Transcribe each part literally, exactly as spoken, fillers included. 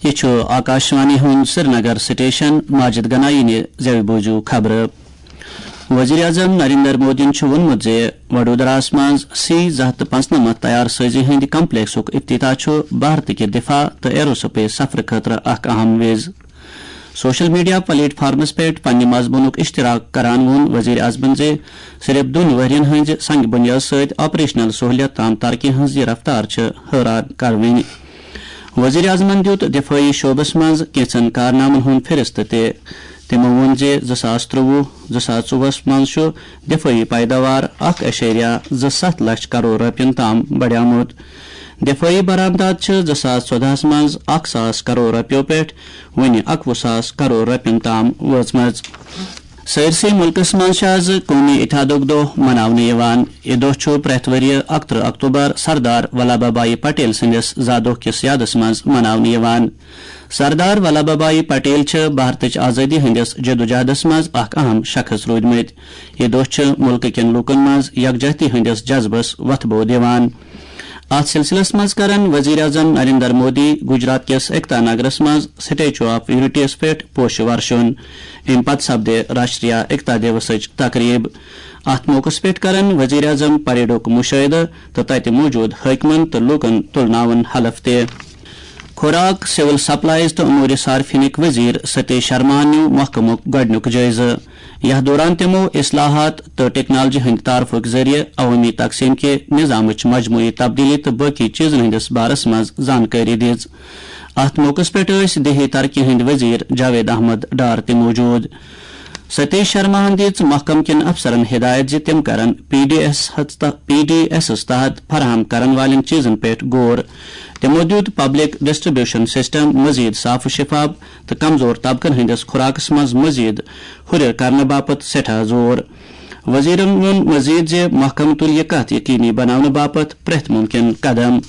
یہِ چھُ آکاشوانی ہُنٛد سرینگر سٹیشن۔ ماجد گنایی نہِ زٮ۪وِ بوٗزِو خبرٕ۔ وزیر اعظم نریندر مودیَن چھُ ووٚنمُت زِ وڈودراہَس منٛز سی زٕ ہَتھ تہٕ پانٛژنَمَتھ تیار سٲزی ہٕنٛدِ کمپلیکسُک افتتاح چھُ بھارت کہِ دفاع تہٕ ایرو سپیس سفرٕ خٲطرٕ اکھ اہم وِز۔ سوشل میڈیا پلیٹ فارمس پٮ۪ٹھ پننہِ مضموٗنُک اشتراک کران ووٚن وزیر اعظمن زِ صرف دۄن ؤرین ہٕنٛزِ سنگ بنیاد سۭتۍ آپریشنل سہولیت تام ترقی ہٕنٛز یہِ رفتار چھِ حٲران کروٕنۍ۔ وزیر اعظمن دیُت دفٲعی شعبس منٛز کینٛژن کارنامن ہُنٛد فہرست تہِ۔ تِمو ووٚن زِ زٕ ساس ترٛۆوُہ زٕ ساس ژۄوُہس منٛز چھُ دفٲعی پیداوار اکھ اعشاریہ زٕ ستھ لچھ کرور رۄپین تام بڑیومُت۔ دفٲعی برآمدات چھِ زٕ ساس ژۄدہس منٛز اکھ ساس کرور رۄپیو پٮ۪ٹھ وۄنہِ اکوُہ ساس کرور رۄپین تام وٲژمٕژ۔ سٲرسٕے مُلکَس منٛز چھُ آز قومی اتحادُک دۄہ مناونہٕ یِوان۔ یہِ دۄہ چھُ پرٛٮ۪تھ ؤرۍ یہِ اَکترٕہ اکتوبر سردار ولبھ بھائی پٹیل سٕنٛدِس زا دۄہ کِس یادس منٛز مناونہٕ یِوان۔ سردار ولبھ بھائی پٹیل چھِ بھارتٕچ آزٲدی ہٕنٛدِس جدوجہدس منٛز اکھ اہم شخص روٗدمٕتۍ۔ یہِ دۄہ چھُ مُلکہٕ کٮ۪ن لوٗکَن منٛز یکجہتی ہٕنٛدِس جذبس وۄتھٕ بو دِوان۔ اتھ سلسلس منٛز کرن وزیر اعظم نریندر مودی گجرات کِس ایکتا نگرس منٛز سٹیچو آف یونٹی یس پٮ۪ٹھ پوشہٕ ورشُن۔ امہِ پتہٕ سپدِ راشٹریہ ایکتا دیوسٕچ تقریب۔ اتھ موقعس پٮ۪ٹھ کرن وزیر اعظم پریڈُک مشاہدٕ تہٕ تتہِ موجود حٲکمن تہٕ لوٗکن تُلناون حلف تہِ۔ خوراک، سول سپلائز تہٕ امور صارفینٕکۍ وزیر ستیش شرماہن نیوٗ محکمُک گۄڈٕنیُک جٲیزٕ۔ یتھ دوران تِمو اصلاحات تہٕ ٹیکنالوجی ہٕنٛدِ تعارفُک ذٔریعہٕ عوٲمی تقسیٖم کہِ نظامٕچ مجموعی تبدیلی تہٕ باقی چیزن ہٕنٛدِس بارس منٛز زانکٲری دِژ۔ اتھ موقعس پٮ۪ٹھ ٲسۍ دیہی ترقی ہٕنٛدۍ وزیر جاوید احمد ڈار تہِ موجود۔ ستیش شرماہن دِژ محکمہٕ کٮ۪ن افسرن ہدایت زِ تِم کرن پی ڈی ایس ہس تح-، پی ڈی ایسس تحت فراہم کرن والٮ۪ن چیزن پٮ۪ٹھ غور۔ تِمو دیُت پبلک ڈسٹریبیوشن سسٹم مزید صاف و شفاف تہٕ کمزور طبقن ہٕنٛدِس خوراکس منٛز مزید ہُرٮ۪ر کرنہٕ باپتھ سٮ۪ٹھاہ زور۔ وزیرن ووٚن مزید زِ محکمہٕ تُلہِ یہِ کتھ یقینی بناونہٕ باپتھ پرٛٮ۪تھ ممکن قدم۔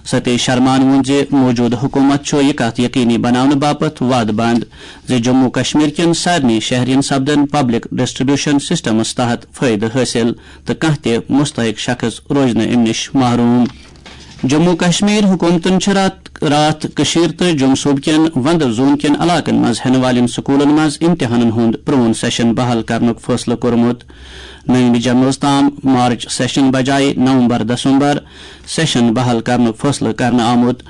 ستیش شرمان ووٚن زِ موجودٕ حکومت چھُ یہِ کتھ یقینی بناونہٕ باپتھ وعدٕ بنٛد زِ جموں کشمیر کٮ۪ن سارنٕے شہرین سپدن پبلک ڈسٹریبیوشن سسٹمس تحت فٲیدٕ حٲصِل تہٕ کانٛہہ تہِ مستحق شخص روزِ نہٕ امہِ نِش محروم۔ جموں کشمیر حکومتن چھِ راتھ راتھ کٔشیٖر تہٕ جوٚم صوٗبہٕ کٮ۪ن وندٕ زوٗن کٮ۪ن علاقن منٛز ہٮ۪نہٕ والٮ۪ن سکوٗلن منٛز امتحانن ہُنٛد پرون سیشن بحال کرنُک فٲصلہٕ کوٚرمُت۔ نٔیمہِ جمٲژ تام مارچ سیشن بجایہِ نومبر دسمبر سیشن بحال کرنُک فٲصلہٕ کرنہٕ آمُت۔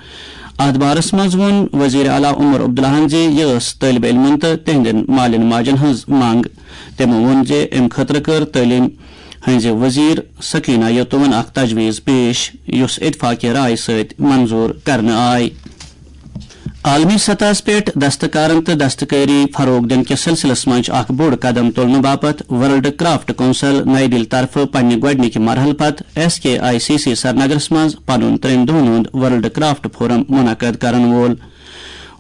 اتھ بارس منٛز ووٚن وزیر اعلیٰ عمر عبداللہن زِ یہِ ٲس طٲلب علمن تہٕ تِہنٛدٮ۪ن مالٮ۪ن ماجن ہٕنٛز منٛگ۔ تِمو ووٚن زِ امہِ خٲطرٕ کٔر تعلیٖم ہٕنٛزِ وزیر سکینہ یتوَن اکھ تجویز پیش، یُس اتفاق رائے سۭتۍ منظور کرنہٕ آے۔ عالمی سطحس پٮ۪ٹھ دستکارن تہٕ دستکٲری فروغ دِنہٕ کِس سلسلس منٛز چھُ اکھ بوٚڑ قدم تُلنہٕ باپتھ ورلڈ کرافٹ کونسل نئی دِلہِ طرفہٕ پننہِ گۄڈٕنِکہِ مرحلہٕ پتہٕ S K I C C سرینگرس منٛز پنُن ترٛٮ۪ن دۄہن ہُنٛد ورلڈ کرافٹ فورم منعقد کرن وول۔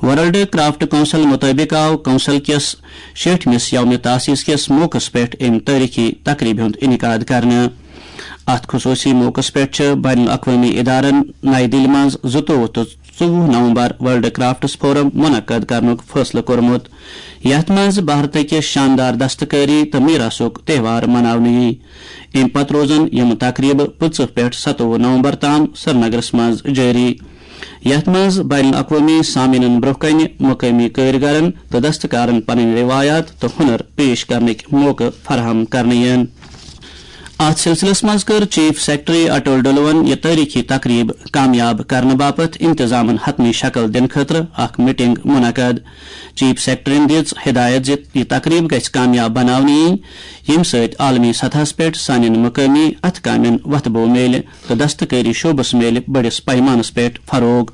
ورلڈ کرافٹ کونسل مُطٲبِق آو کونسل کِس شیٹھمِس یوم تاسیس کِس موقعس پٮ۪ٹھ امہِ تٲریخی تقریبہِ ہُنٛد انعقاد کرنہٕ۔ اتھ خصوصی موقعس پٮ۪ٹھ چھِ بین الاقوٲمی ادارن نئی دِلہِ منٛز زٕتووُہ تہٕ ژوٚوُہ نومبر ورلڈ کرافٹس فورم منعقد کرنُک فٲصلہٕ کوٚرمُت، یتھ منٛز بھارتٕکہِ شاندار دستکٲری تہٕ میراثُک تہوار مناونہٕ یِیہِ۔ امہِ پتہٕ روزن یِم تقریبہٕ پٕنٛژٕہ پٮ۪ٹھ ستووُہ نومبر تام سرینگرس منٛز جٲری، یتھ منٛز بین الاقوٲمی سامعیٖنن برٛونٛہہ کنہِ مقٲمی کٲرۍگرن تہٕ دستکارن پنٕنۍ روایات تہٕ ہُنر پیش کرنٕکۍ موقعہٕ فراہم کرنہٕ یِن۔ اتھ سلسلس منٛز کٔر چیف سیکرٹری اٹل ڈلون یہِ تٲریخی تقریب کامیاب کرنہٕ باپتھ انتظامن حتمی شکل دِنہٕ خٲطرٕ اکھ میٹنگ منعقد۔ چیف سیکرٹریَن دِژ ہدایت زِ یہِ تقریب گژھِ کامیاب بناونہٕ یِنۍ، ییٚمہِ سۭتۍ عالمی سطحس پٮ۪ٹھ سانٮ۪ن مقٲمی اتھٕ کامٮ۪ن وۄتھٕ بو میلہِ تہٕ دستکٲری شعبس میلہِ بٔڑِس پیمانس پٮ۪ٹھ فروغ۔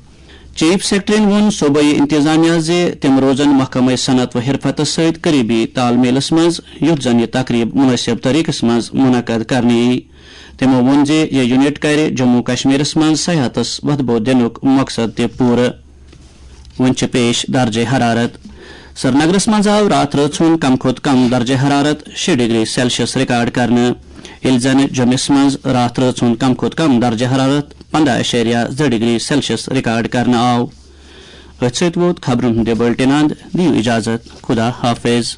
چیف سیکرٹریَن ووٚن صوبٲئی انتظامیہ زِ تِم روزن محکمہ صنعت و حرفتس سۭتۍ قریبی تال میلس منٛز، یُتھ زن یہِ تقریب مناسب طریقس منٛز منعقد کرنہٕ یِیہِ۔ تِمو ووٚن زِ یہِ یونٹ کرِ جموں کشمیرس منٛز سیاحتس وۄتھٕ بو دِنُک مقصد تہِ پوٗرٕ۔ وۄنۍ چھِ پیش درجہ حرارت۔ سرینگرس منٛز آو راتھ رٲژ ہُنٛد کم کھۄتہٕ کم درجہ حرارت شےٚ ڈگری سیلسیس ریکارڈ کرنہٕ، ییٚلہِ زن جوٚمِس منٛز راتھ رٲژ ہُنٛد کم کھۄتہٕ کم درجہ حرارت پنٛداہ اعشاریہ زٕ ڈگری سیلسیس ریکارڈ کرنہٕ آو۔ أتھۍ سۭتۍ ووت خبرن ہُنٛد یہِ بُلٹن اند۔ دِیِو اجازت۔ خدا حافظ۔